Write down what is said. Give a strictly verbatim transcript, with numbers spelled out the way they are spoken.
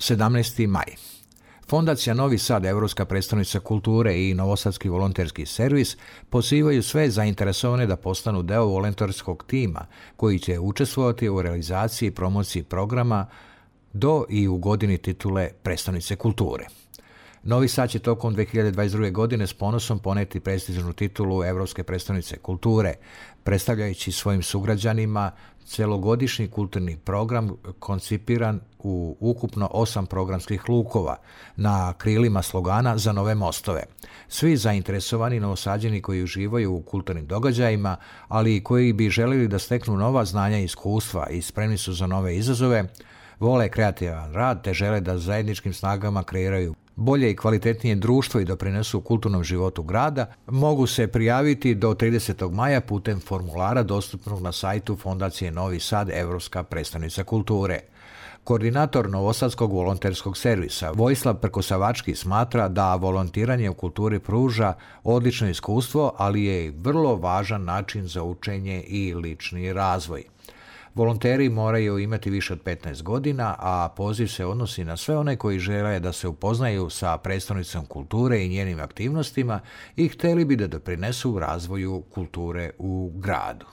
sedamnaesti maj. Fondacija Novi Sad, Europska predstavnica kulture i Novosadski volonterski servis pozivaju sve zainteresovane da postanu deo volonterskog tima koji će učestvovati u realizaciji i promociji programa do i u godini titule predstavnice kulture. Novi Sad će tokom dve hiljade dvadeset druge. godine s ponosom poneti prestižnu titulu Evropske predstavnice kulture, predstavljajući svojim sugrađanima celogodišnji kulturni program koncipiran u ukupno osam programskih lukova na krilima slogana za nove mostove. Svi zainteresovani Novosađani koji uživaju u kulturnim događajima, ali i koji bi želeli da steknu nova znanja i iskustva i spremni su za nove izazove, vole kreativan rad te žele da zajedničkim snagama kreiraju bolje i kvalitetnije društvo i doprinesu kulturnom životu grada, mogu se prijaviti do tridesetog maja putem formulara dostupnog na sajtu Fondacije Novi Sad, Evropska predstavnica kulture. Koordinator Novosadskog volonterskog servisa Vojislav Prkosavački smatra da volontiranje u kulturi pruža odlično iskustvo, ali je i vrlo važan način za učenje i lični razvoj. Volonteri moraju imati više od petnaest godina, a poziv se odnosi na sve one koji žele da se upoznaju sa predstavnicom kulture i njenim aktivnostima i hteli bi da doprinesu razvoju kulture u gradu.